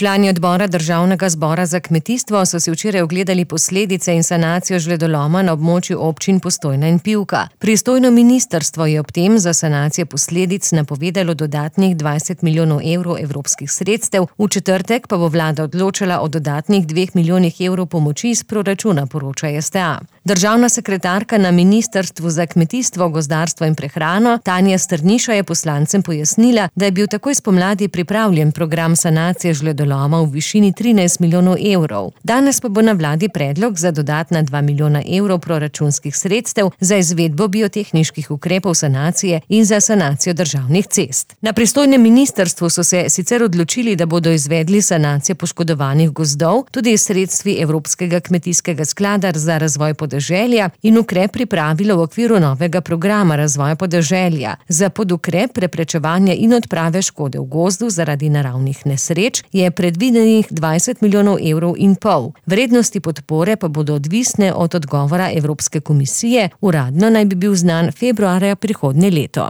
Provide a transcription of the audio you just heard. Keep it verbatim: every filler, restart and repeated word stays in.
Člani odbora Državnega zbora za kmetijstvo so si včeraj ogledali posledice in sanacijo žledoloma na območju občin Postojna in Pivka. Pristojno ministrstvo je ob tem za sanacijo posledic napovedalo dodatnih dvajset milijonov evrov evropskih sredstev, v četrtek pa bo vlada odločala o dodatnih dveh milijonih evrov pomoči iz proračuna, poroča S T A. Državna sekretarka na Ministrstvu za kmetijstvo, gozdarstvo in prehrano Tanja Strniša je poslancem pojasnila, da je bil takoj spomladi pripravljen program sanacije žledoloma v višini trinajst milijonov evrov. Danes pa bo na vladi predlog za dodatna dva milijona evrov proračunskih sredstev za izvedbo biotehniških ukrepov sanacije in za sanacijo državnih cest. Na pristojnem ministrstvu so se sicer odločili, da bodo izvedli sanacijo poškodovanih gozdov tudi iz sredstvi Evropskega kmetijskega sklada za razvoj podeželja in ukrep pripravilo v okviru novega programa razvoja podeželja. Za podukrep preprečevanja in odprave škode v gozdu zaradi naravnih nesreč je predvidenih dvajset milijonov evrov in pol. Vrednosti podpore pa bodo odvisne od odgovora Evropske komisije, uradno naj bi bil znan februarja prihodnje leto.